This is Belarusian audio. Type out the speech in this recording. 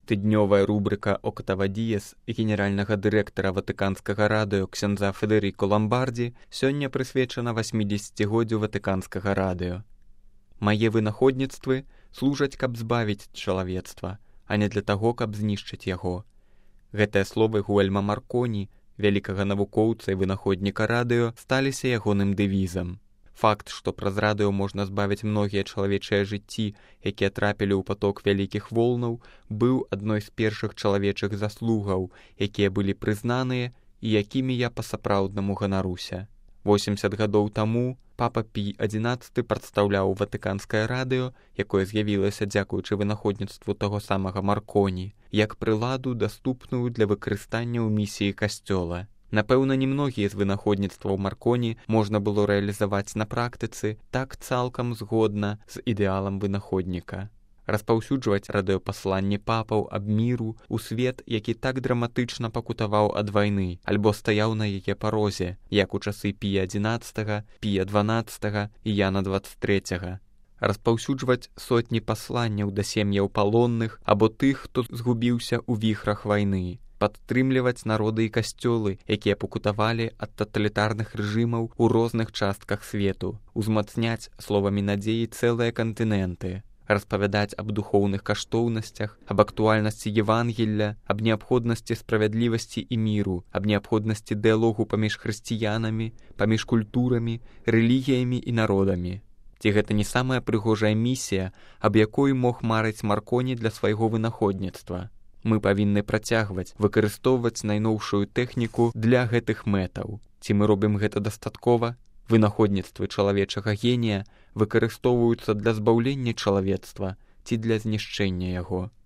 Тыднёвая рубрика «Октава Діес» генеральнага дырэктара Ватыканскага радыё ксяндза Федэріко Ламбардзі сёння прысвечана 80годдзю Ватыканскага радыё. Мае вынаходніцтвы служаць, каб збавіць чалавецтва, а не для таго, каб знішчыць яго. Гэтыя словы Гуэльма Марконі, вялікага навукоўца і вынаходніка радыё, сталіся ягоным дэвізам. Факт, што праз радыё можна збавіць многія чалавечыя жыцці, якія трапілі ў паток вялікіх волнаў, быў адной з першых чалавечых заслугаў, якія былі прызнаныя і якімі я па-сапраўднаму ганаруся. 80 гадоў таму папа Пій XI прадстаўляў Ватыканскае радыё, якое з'явілася дзякуючы вынаходніцтву таго самага Марконі, як прыладу, даступную для выкарыстання ў місіі касцёла. Напэўна, немногія з вынаходніцтваў Марконі можна было рэалізаваць на практыцы так цалкам згодна з ідэалам вынаходніка. Распаўсюджваць радыёпасланні папаў аб міру ў свет, які так драматычна пакутаваў ад вайны, альбо стаяў на яе парозе, як у часы Пія XI, Пія XII і Яна XXIII. Распаўсюджваць сотні пасланняў да сем'яў палонных або тых, хто згубіўся ў віхрах вайны. Падтрымліваць народы і касцёлы, якія пакутавалі ад таталітарных рэжымаў у розных частках свету, узмацняць словамі надзеі цэлыя кантыненты, распавядаць аб духоўных каштоўнасцях, аб актуальнасці Евангелля, аб неабходнасці справядлівасці і міру, аб неабходнасці дыялогу паміж хрысціянамі, паміж культурамі, рэлігіямі і народамі. Ці гэта не самая прыгожая місія, аб якой мог марыць Марконі для свайго вынаходніцтва? Мы павінны працягваць выкарыстоўваць найноўшую тэхніку для гэтых мэтаў. Ці мы робім гэта дастаткова? Вынаходніцтвы чалавечага генія выкарыстоўваюцца для збаўлення чалавецтва ці для знішчэння яго.